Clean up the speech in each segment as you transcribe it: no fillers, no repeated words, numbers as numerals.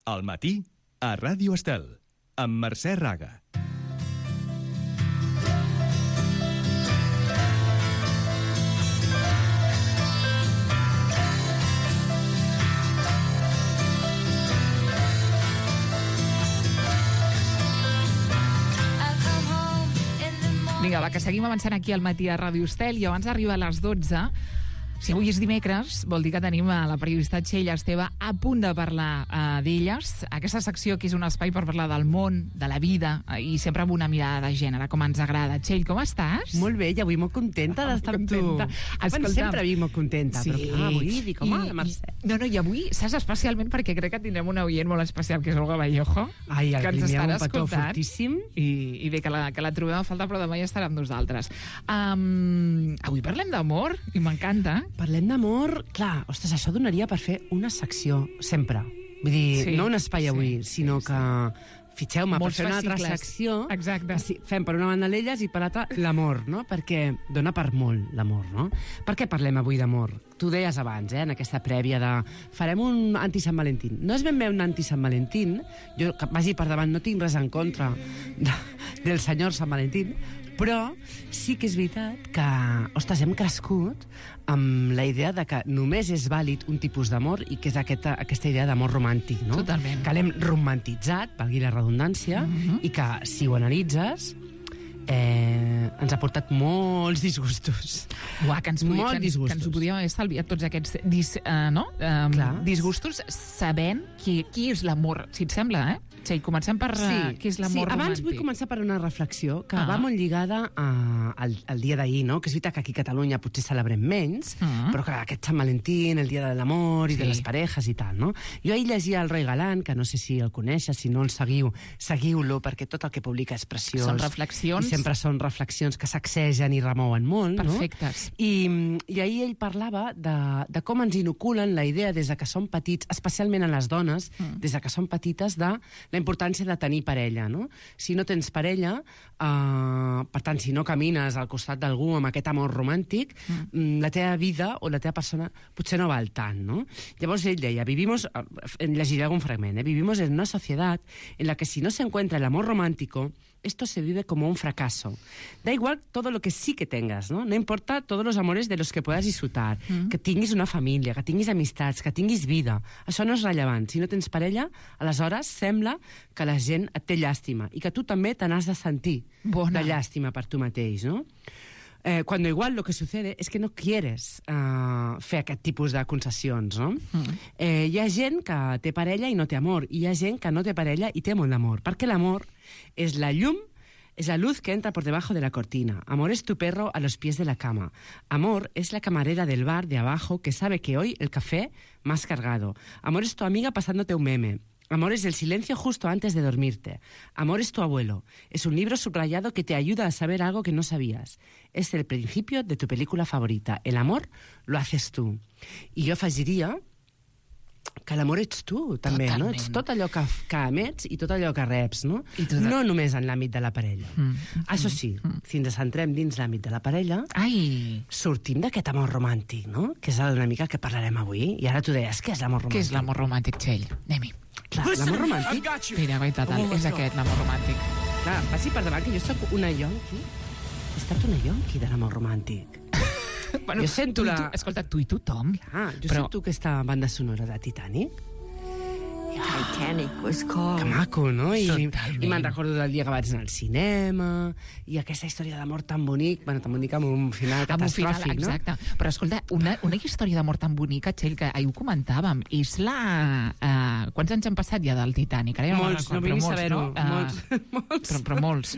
Al matí, a Ràdio Estel, amb Mercè Raga. Vinga, va, que seguim avançant aquí al matí a Ràdio Estel i abans d'arribar a les 12... Si avui és dimecres, vol dir que tenim a la periodista Txell Esteve a punt de parlar d'elles. Aquesta secció que és un espai per parlar del món, de la vida, i sempre amb una mirada de gènere, com ens agrada. Txell, com estàs? Molt bé, i avui molt contenta d'estar amb tu. Bueno, sempre vinc molt contenta, sí. Però avui dic, home, la Mercè. I avui saps especialment perquè crec que tindrem un oient molt especial, que és Olga Vallejo. Ai, el primer un petó escoltant. fortíssim. I bé, que la trobem a falta, però demà ja estarà amb nosaltres. Avui parlem d'amor, i m'encanta. Parlem d'amor, clar, ostres, això donaria per fer una secció, sempre. Vull dir, Sí, no un espai avui, sinó que fitxeu-me per fer una altra secció. Exacte. Fem per una banda l'elles i per l'altra l'amor, no? Perquè dona per molt l'amor, no? Per què parlem avui d'amor? Tu deies abans, en aquesta prèvia de farem un anti-Sant Valentín. No és ben bé un anti-Sant Valentín, jo que vagi per davant no tinc res en contra del senyor Sant Valentín, però sí que és veritat que, ostres, hem crescut amb la idea de que només és vàlid un tipus d'amor i que és aquesta idea d'amor romàntic, no? Totalment. Que l'hem romantitzat, valgui la redundància, i que, si ho analitzes, ens ha portat molts disgustos. Uah, que ens ho podíem haver estalviat tots aquests disgustos sabent qui és l'amor, si et sembla, Txell, comencem per què és l'amor romàntic. Abans vull començar per una reflexió que va molt lligada al dia d'ahir, no? Que és veritat que aquí a Catalunya potser celebrem menys, però que aquest Sant Valentín, el dia de l'amor i de les parejas i tal, no? Jo ahir llegia el Roi Galant, que no sé si el coneixes, si no el seguiu-lo, perquè tot el que publica és preciós. Són reflexions. I sempre són reflexions que sacsegen i remouen molt, perfectes. No? I ahir ell parlava de com ens inoculen la idea des de que som petits, especialment a les dones, des de que som petites, de la importància de tenir parella, no? Si no tens parella, per tant, si no camines al costat d'algú amb aquest amor romàntic, la teva vida o la teva persona potser no val tant, no? Llavors ell deia, llegiré algun fragment, vivimos en una sociedad en la que si no se encuentra el amor romántico, esto se vive como un fracaso. Da igual todo lo que sí que tengas, ¿no? No importa todos los amores de los que puedas disfrutar, que tinguis una família, que tinguis amistats, que tinguis vida. Això no és rellevant. Si no tens parella, aleshores sembla que la gent et té llàstima i que tu també te n'has de sentir de llàstima per tu mateix, no? Cuando igual lo que sucede es que no quieres fer aquest tipus de concessions, no? Hi ha gent que té parella i no té amor, i hi ha gent que no té parella i té molt d'amor, perquè l'amor és la llum, es la luz que entra por debajo de la cortina. Amor es tu perro a los pies de la cama. Amor es la camarera del bar de abajo que sabe que hoy el café más cargado. Amor es tu amiga pasándote un meme. Amor es el silencio justo antes de dormirte. Amor es tu abuelo. Es un libro subrayado que te ayuda a saber algo que no sabías. Es el principio de tu película favorita. El amor lo haces tú. I jo afegiria que l'amor ets tu, també, totalment. No? Ets tot allò que emets i tot allò que reps, no? No només en l'àmbit de la parella. Això sí, si ens centrem dins l'àmbit de la parella, sortim d'aquest amor romàntic, no? Que és una mica que parlarem avui. I ara tu deies, què és l'amor romàntic? Què és l'amor romàntic, Txell? Anem-hi. Clar, l'amor romàntic... Mira, és aquest, l'amor romàntic. Clar, passi per davant que jo soc una yonqui. He estat una yonqui de l'amor romàntic. Bueno, jo sento escolta, tu i tothom. Clar, jo sento aquesta banda sonora de Titanic. Titanic was called. Que maco, no? I me'n recordo del dia que vaig anar al cinema, i aquesta història d'amor tan bonic, tan bonic amb un final catastròfic, no? Exacte. Però escolta, una història d'amor tan bonica, Txell, que ahir ho comentàvem, és la... Quants anys han passat ja del Titanic? Molts, no vull ni saber-ho. Però molts.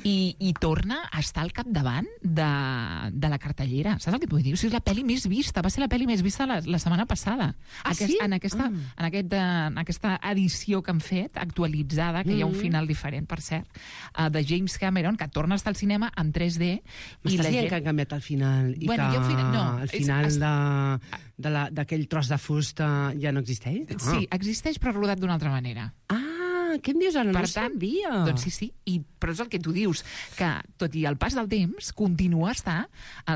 I torna a estar al capdavant de la cartellera. Saps el que et vull dir? O sigui, és la pel·li més vista, va ser la pel·li més vista la setmana passada. Sí? En aquesta edició que han fet, actualitzada, que hi ha un final diferent, per cert, de James Cameron, que torna a estar al cinema en 3D. M'estàs dient que han canviat el final i que el final d'aquell tros de fusta ja no existeix? Sí, existeix, però rodat d'una altra manera. què em dius ara? Per No tant, sabia. doncs sí, però és el que tu dius, que tot i el pas del temps continua a estar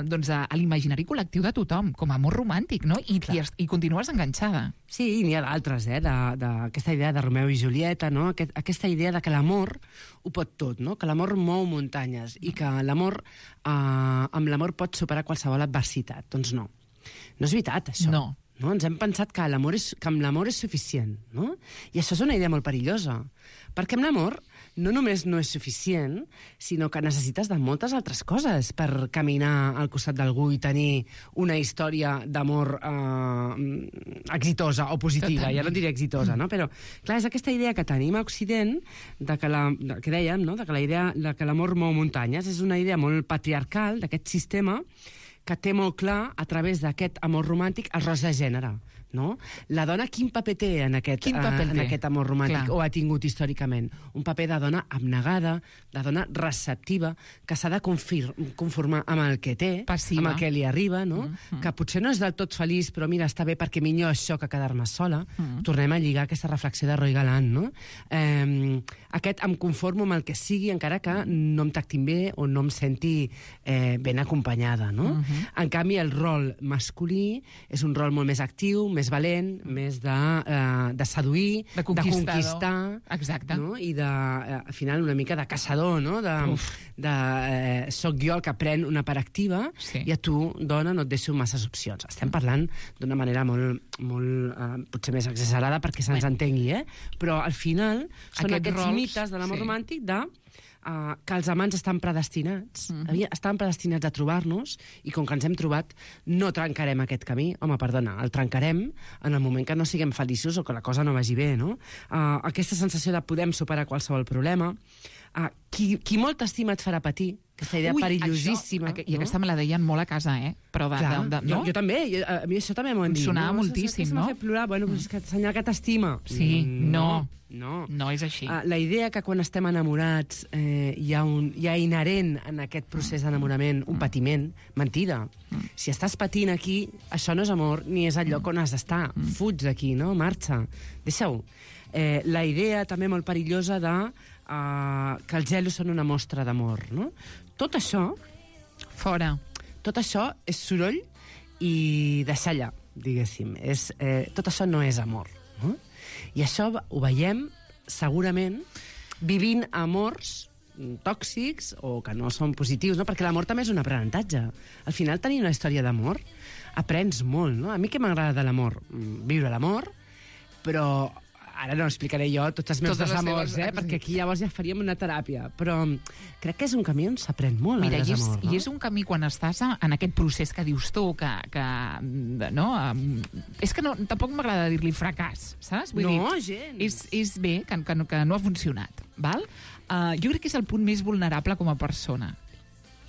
doncs, a l'imaginari col·lectiu de tothom, com a amor romàntic, no? I continues enganxada. Sí, i n'hi ha d'altres, d'aquesta idea de Romeu i Julieta, no? Aquesta idea de que l'amor ho pot tot, no? Que l'amor mou muntanyes i que l'amor, amb l'amor pots superar qualsevol adversitat. Doncs no. No és veritat, això. No. No? Ens hem pensat que amb l'amor és suficient, no? I això és una idea molt perillosa, perquè amb l'amor no només no és suficient, sinó que necessites de moltes altres coses per caminar al costat d'algú i tenir una història d'amor exitosa o positiva. Totalment. Ja no diré exitosa, no? Però, clar, és aquesta idea que tenim a Occident, que dèiem, no? De que la idea de que l'amor mou muntanyes és una idea molt patriarcal d'aquest sistema que té molt clar, a través d'aquest amor romàntic, els rols de gènere. No? La dona quin paper té en aquest amor romàntic, clar, o ha tingut històricament? Un paper de dona abnegada, de dona receptiva, que s'ha de conformar amb el que té, passiva, amb el que li arriba, no? Que potser no és del tot feliç, però mira, està bé perquè millor això que quedar-me sola. Tornem a lligar aquesta reflexió de Roy Galant, no? Aquest em conformo amb el que sigui, encara que no em tractin bé o no em senti ben acompanyada, no? En canvi, el rol masculí és un rol molt més actiu, més valent, més de seduir, de conquistar. Exacte. No? I al final una mica de caçador, no? Soc jo el que pren una part activa, sí, i a tu, dona, no et deixo masses opcions. Estem parlant d'una manera molt potser més exagerada perquè se'ns entengui, però al final són aquests mites de l'amor romàntic que els amants estan predestinats, estan predestinats a trobar-nos, i com que ens hem trobat, no trencarem aquest camí. Home, perdona, el trencarem en el moment que no siguem feliços o que la cosa no vagi bé, no? Aquesta sensació de podem superar qualsevol problema. Qui molt t'estima et farà patir. Aquesta idea perillosíssima. I aquesta me la deien molt a casa, Però no? Jo també, a mi això també m'ho han dit. Sonava moltíssim, no? M'ha fet plorar, bueno, és que senyal que t'estima. Sí, no. No és així. La idea que quan estem enamorats hi ha inherent en aquest procés d'enamorament un patiment, mentida. Si estàs patint aquí, això no és amor, ni és el lloc on has d'estar. Fuig d'aquí, no? Marxa. Deixa-ho. La idea també molt perillosa que els gelos són una mostra d'amor, no? Tot això... Fora. Tot això és soroll i deixar allà, diguéssim. Tot això no és amor, no? I això ho veiem, segurament, vivint amors tòxics o que no són positius, no? Perquè l'amor també és un aprenentatge. Al final, tenir una història d'amor aprens molt, no? A mi què m'agrada de l'amor? Viure l'amor, però... Ara no explicaré jo tots els meus desamors, perquè aquí llavors ja faríem una teràpia. Però crec que és un camí on s'aprèn molt el desamor. I és un camí quan estàs en aquest procés que dius tu, no? És que tampoc m'agrada dir-li fracàs, saps? Vull dir, gens. És bé que no ha funcionat, val? Jo crec que és el punt més vulnerable com a persona.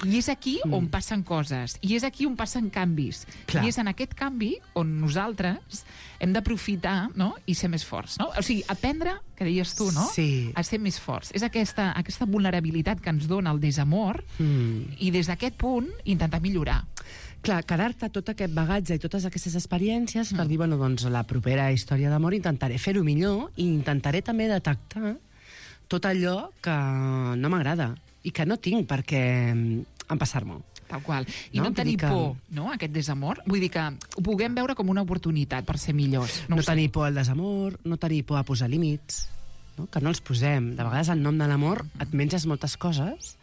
I és aquí on passen coses, i és aquí on passen canvis. Clar. I és en aquest canvi on nosaltres hem d'aprofitar, no?, i ser més forts, no? O sigui, aprendre, que deies tu, no?, sí, a ser més forts. És aquesta vulnerabilitat que ens dona el desamor, i des d'aquest punt intentar millorar. Clar, quedar-te tot aquest bagatge i totes aquestes experiències per dir, bueno, doncs la propera història d'amor intentaré fer-ho millor i intentaré també detectar tot allò que no m'agrada i que no tinc perquè empassar-m'ho. Tal qual. I no tenir por, no?, a aquest desamor. Vull dir que ho puguem veure com una oportunitat per ser millors. No tenir por al desamor, no tenir por a posar límits, no? Que no els posem. De vegades, en nom de l'amor, et menges moltes coses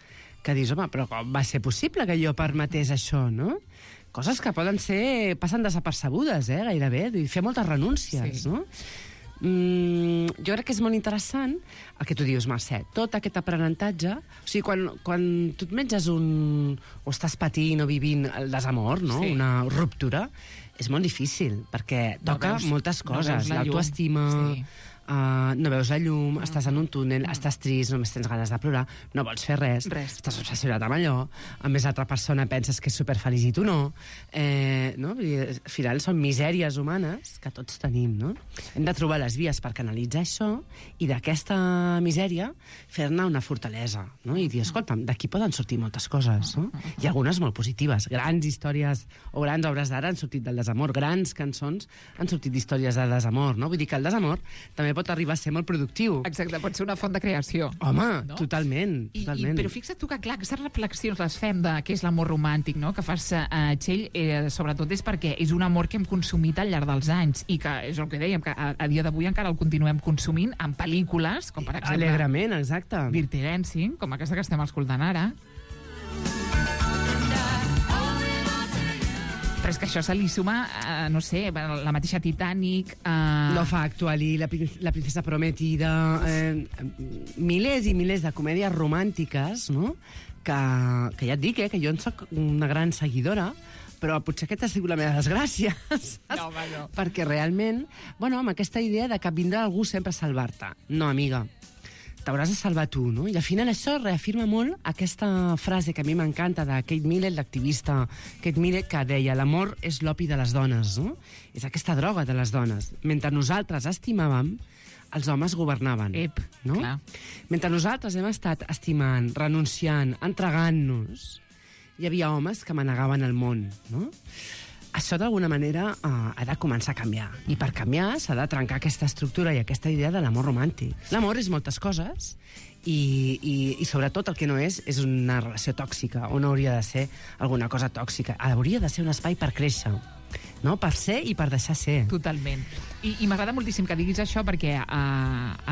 que dius, home, però com va ser possible que jo permetés això, no? Coses que passen desapercebudes, gairebé. Fer moltes renúncies, sí, no? Jo crec que és molt interessant el que tu dius, Mercè, tot aquest aprenentatge. O sigui, quan tu et menges o estàs patint o vivint el desamor, no? Sí. Una ruptura, és molt difícil, perquè toca moltes coses. L'autoestima, sí, no veus la llum, estàs en un túnel, estàs trist, només tens ganes de plorar, no vols fer res. Estàs obsessionat amb allò, a més l'altra persona penses que és superfeliç i tu no. Al final són misèries humanes que tots tenim, no? Hem de trobar les vies per canalitzar això i d'aquesta misèria fer-ne una fortalesa, no? I dir, escolta'm, d'aquí poden sortir moltes coses, no? I algunes molt positives. Grans històries o grans obres d'art han sortit del desamor, grans cançons han sortit d'històries de desamor, no? Vull dir que el desamor també també pot arribar a ser molt productiu. Exacte, pot ser una font de creació. Home, no? totalment. Però fixa't tu que, clar, aquestes reflexions les fem de què és l'amor romàntic, no?, que fas, Txell, sobretot és perquè és un amor que hem consumit al llarg dels anys i que, és el que dèiem, que a dia d'avui encara el continuem consumint en pel·lícules, com per exemple... Alegrament, exacte. Dirty Dancing, com aquesta que estem escoltant ara. Però és que això se li suma, no sé, la mateixa Titanic... Love Actually, La princesa prometida... milers i milers de comèdies romàntiques, no?, que ja et dic, que jo en soc una gran seguidora, però potser aquesta ha sigut la meva desgràcia, saps? No, home, no. Perquè realment, bueno, amb aquesta idea de que vindrà algú sempre a salvar-te. No, amiga, t'hauràs de salvar tu, no? I al final això reafirma molt aquesta frase que a mi m'encanta de Kate Millett, l'activista Kate Millett, que deia l'amor és l'opi de les dones, no? És aquesta droga de les dones. Mentre nosaltres estimàvem, els homes governaven. No? Clar. Mentre nosaltres hem estat estimant, renunciant, entregant-nos, hi havia homes que manegaven el món, no? Això, d'alguna manera, ha de començar a canviar. I per canviar s'ha de trencar aquesta estructura i aquesta idea de l'amor romàntic. L'amor és moltes coses i sobretot, el que no és una relació tòxica, o no hauria de ser alguna cosa tòxica. Hauria de ser un espai per créixer, no? Per ser i per deixar ser. Totalment. I m'agrada moltíssim que diguis això perquè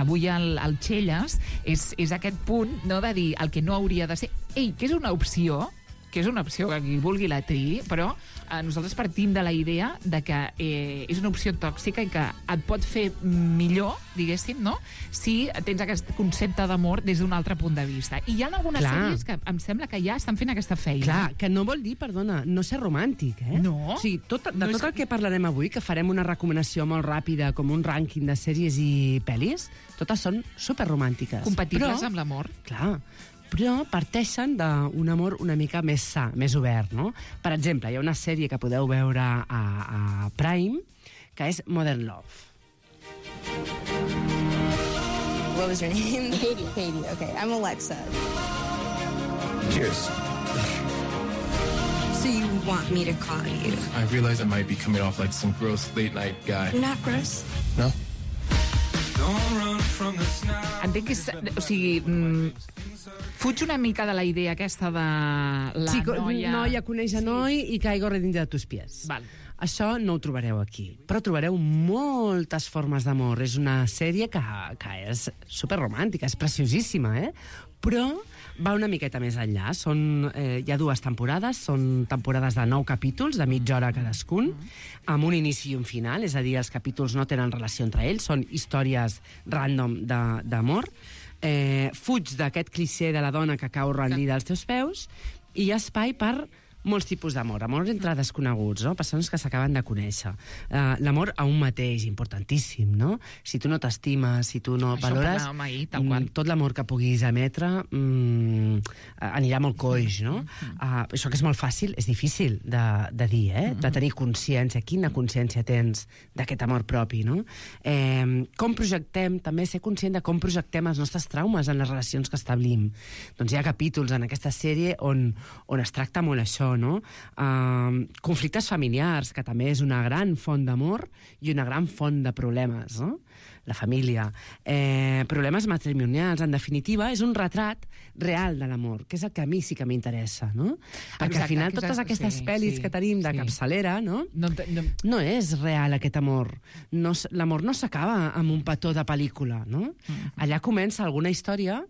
avui el Txelles és aquest punt, no, de dir el que no hauria de ser. Ei, que és una opció, que qui vulgui la triï, però nosaltres partim de la idea de que és una opció tòxica i que et pot fer millor, diguéssim, no?, si tens aquest concepte d'amor des d'un altre punt de vista. I hi ha algunes sèries que em sembla que ja estan fent aquesta feina. Clar, que no vol dir, perdona, no ser romàntic, No. O sigui, tot el que parlarem avui, que farem una recomanació molt ràpida, com un rànquing de sèries i pel·lis, totes són superromàntiques. Compatibles amb l'amor. Clar, però parteixen d'un amor una mica més sa, més obert, no? Per exemple, hi ha una sèrie que podeu veure a Prime, que és Modern Love. What was your name? Katie. Katie, okay. I'm Alexa. Cheers. So you want me to call you? I realize I might be coming off like some gross late-night guy. You're not gross? No? Entenc que és... O sigui, fuig una mica de la idea aquesta de la noia... Noia coneix a noi i caigo redint de tus pies. Val. Això no ho trobareu aquí, però trobareu moltes formes d'amor. És una sèrie que és superromàntica, és preciosíssima, però va una miqueta més enllà. Hi ha 2 temporades, són temporades de 9 capítols, de mitja hora cadascun, amb un inici i un final, és a dir, els capítols no tenen relació entre ells, són històries random d'amor. Fuig d'aquest clixé de la dona que cau rendida als teus peus i hi ha espai per molts tipus d'amor. Amor entre desconeguts, no? Persones que s'acaben de conèixer. L'amor a un mateix, importantíssim, no? Si tu no t'estimes, si tu no valores, tot l'amor que puguis emetre anirà molt coix, no? Això que és molt fàcil, és difícil de dir, de tenir consciència. Quina consciència tens d'aquest amor propi, no? Com projectem, també ser conscient de com projectem els nostres traumes en les relacions que establim. Doncs hi ha capítols en aquesta sèrie on es tracta molt això, no? Conflictes familiars, que també és una gran font d'amor i una gran font de problemes, no? La família. Problemes matrimonials, en definitiva, és un retrat real de l'amor, que és el que a mi sí que m'interessa, no? Perquè al final totes aquestes pel·lis que tenim de capçalera, no? No és real aquest amor. L'amor no s'acaba amb un petó de pel·lícula, no? Allà comença alguna història,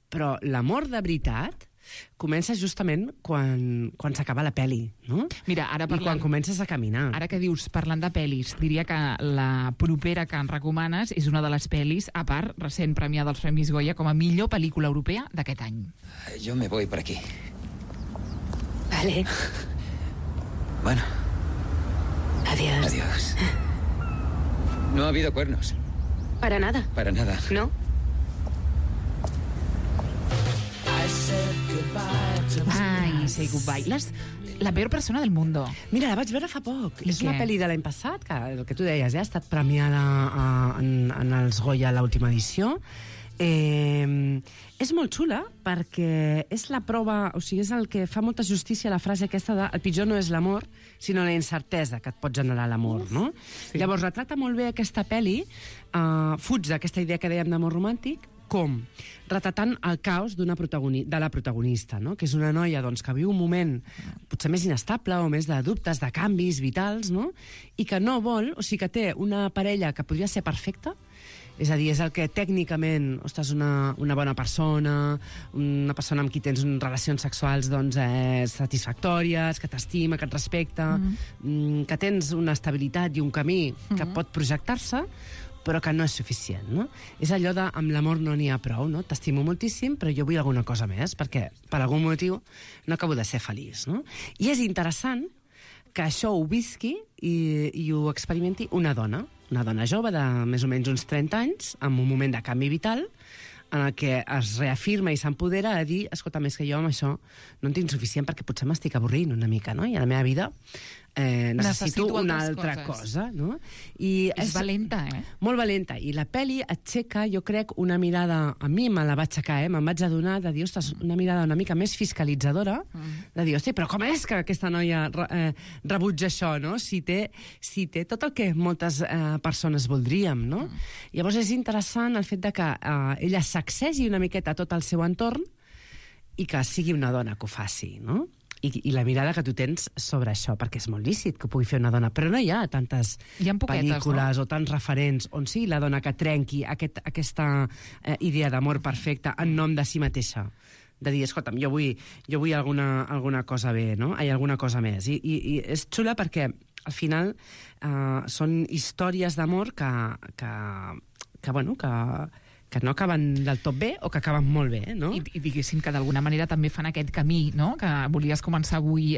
però l'amor de veritat comença justament quan s'acaba la pel·li, no? Mira, ara parlant... I quan comences a caminar. Ara que dius, parlant de pel·lis, diria que la propera que ens recomanes és una de les pel·lis, a part, recent premiada als Premis Goya com a millor pel·lícula europea d'aquest any. Yo me voy por aquí. Vale. Bueno. Adiós. Adiós. No ha habido cuernos. Para nada. Para nada. ¿No? Ai, say goodbye. La peor persona del mundo. Mira, la vaig veure fa poc. I és què? una pel·li de l'any passat, que el que tu deies, ha estat premiada en els Goya a l'última edició. És molt xula perquè és la prova, o sigui, és el que fa molta justícia a la frase aquesta de el pitjor no és l'amor, sinó la incertesa que et pot generar l'amor, no? Sí. Llavors, retrata molt bé aquesta pel·li, fuig d'aquesta idea que dèiem d'amor romàntic, com? Retratant el caos de la protagonista, no? Que és una noia doncs, que viu un moment potser més inestable o més de dubtes, de canvis vitals, no? I que no vol, o sigui, que té una parella que podria ser perfecta, és a dir, és el que tècnicament, ostres, una bona persona, una persona amb qui tens relacions sexuals doncs, satisfactòries, que t'estima, que et respecta, que tens una estabilitat i un camí que pot projectar-se, però que no és suficient, no? És allò de, amb l'amor no n'hi ha prou, no? T'estimo moltíssim, però jo vull alguna cosa més, perquè per algun motiu no acabo de ser feliç, no? I és interessant que això ho visqui i ho experimenti una dona jove de més o menys uns 30 anys, amb un moment de canvi vital, en el que es reafirma i s'empodera a dir, escolta, més que jo amb això no en tinc suficient perquè potser m'estic avorrint una mica, no? I a la meva vida necessito una altra cosa, no? I és valenta, Molt valenta. I la pel·li aixeca, jo crec, una mirada... A mi me la va aixecar, me'n vaig adonar de dir, ostres, una mirada una mica més fiscalitzadora, de dir, hosti, però com és que aquesta noia rebutja això, no? Si té tot el que moltes persones voldríem, no? Llavors és interessant el fet de que ella sacsegi una miqueta tot el seu entorn i que sigui una dona que ho faci, no? I la mirada que tu tens sobre això, perquè és molt lícit que ho pugui fer una dona, però no hi ha tantes pel·lícules o tants referents on sigui la dona que trenqui aquesta idea d'amor perfecte en nom de si mateixa, de dir, escolta'm, jo vull alguna cosa bé, no? Alguna cosa més. I és xula perquè al final són històries d'amor que no acaben del tot bé o que acaben molt bé, no? I diguéssim que d'alguna manera també fan aquest camí, no? Que volies començar avui,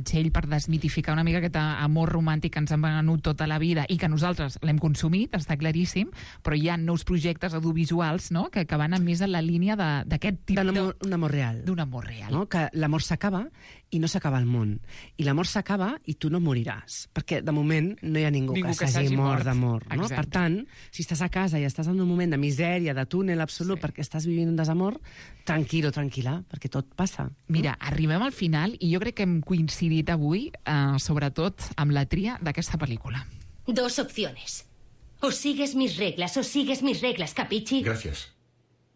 Txell, per desmitificar una mica aquest amor romàntic que ens han venut tota la vida i que nosaltres l'hem consumit, està claríssim, però hi ha nous projectes audiovisuals, no?, que van més en la línia d'aquest tipus d'un amor real. D'un amor real. No? Que l'amor s'acaba i no s'acaba el món. I l'amor s'acaba i tu no moriràs. Perquè, de moment, no hi ha ningú que s'hagi mort d'amor. No? Per tant, si estàs a casa i estàs en un moment de misèria, de túnel absolut, perquè estàs vivint un desamor, tranquil o tranquil·la, perquè tot passa. Mira, arribem al final i jo crec que hem coincidit avui, sobretot, amb la tria d'aquesta pel·lícula. 2 opciones. O sigues mis reglas, ¿capichi? Gracias.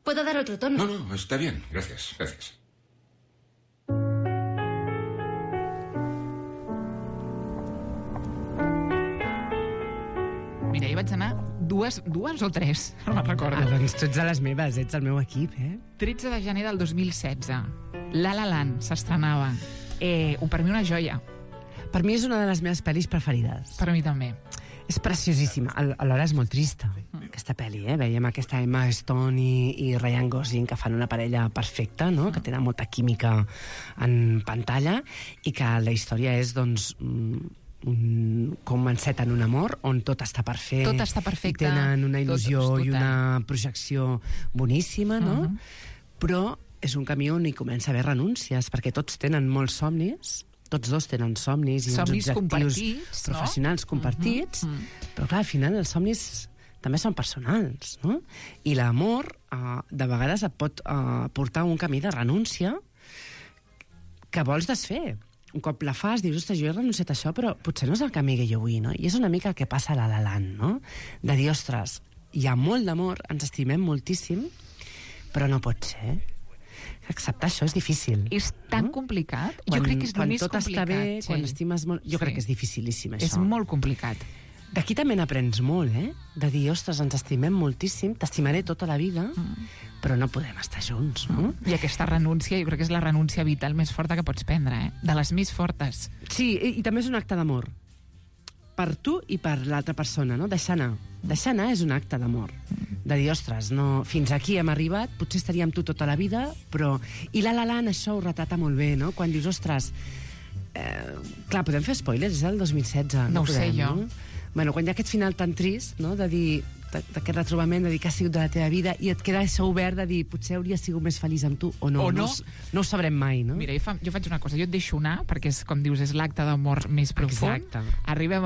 ¿Puedo dar otro tono? No, está bien. Gracias. Mira, hi vaig anar dues o tres, no me'n recordo. Doncs tu ets de les meves, ets el meu equip, 13 de gener del 2016. La La Land s'estrenava. Per mi una joia. Per mi és una de les meves pel·lis preferides. Per mi també. És preciosíssima. Alhora és molt trista, aquesta pel·li, Veiem aquesta Emma Stone i Ryan Gosling que fan una parella perfecta, no? Que tenen molta química en pantalla i que la història és, doncs, com enceten un amor on tot està per fer. Tot està perfecte. I tenen una il·lusió i una projecció boníssima, no? Però és un camí on hi comença a haver renúncies, perquè tots tenen molts somnis, tots dos tenen somnis i uns objectius professionals compartits, però clar, al final els somnis també són personals, no? I l'amor de vegades et pot portar a un camí de renúncia que vols desfer. Un cop la fas, dius, ostres, jo he renunciat a això, però potser no és el camí que jo vull, no? I és una mica el que passa a La La Land, no? De dir, ostres, hi ha molt d'amor, ens estimem moltíssim, però no pot ser. Acceptar això és difícil. És tan complicat? Jo crec que és el més complicat. Quan tot està bé, quan estimes molt... Jo crec que és dificilíssim, això. És molt complicat. D'aquí també n'aprens molt, De dir, ostres, ens estimem moltíssim, t'estimaré tota la vida, però no podem estar junts, no? I aquesta renúncia, jo crec que és la renúncia vital més forta que pots prendre, De les més fortes. Sí, i també és un acte d'amor. Per tu i per l'altra persona, no? Deixar anar. Deixar anar és un acte d'amor. De dir, ostres, no, fins aquí hem arribat, potser estaria amb tu tota la vida, però... I La La Land això ho retrata molt bé, no? Quan dius, ostres... clar, podem fer spoilers, és el 2016. No ho sé, jo. No? Bueno, quan hi ha aquest final tan trist, no?, de dir, d'aquest retrobament, de dir que ha sigut de la teva vida, i et queda això obert de dir, potser hauria sigut més feliç amb tu, o no. No ho sabrem mai, no? Mira, jo faig una cosa, jo et deixo anar, perquè, com dius, és l'acte d'amor més profund. Exacte. Arribem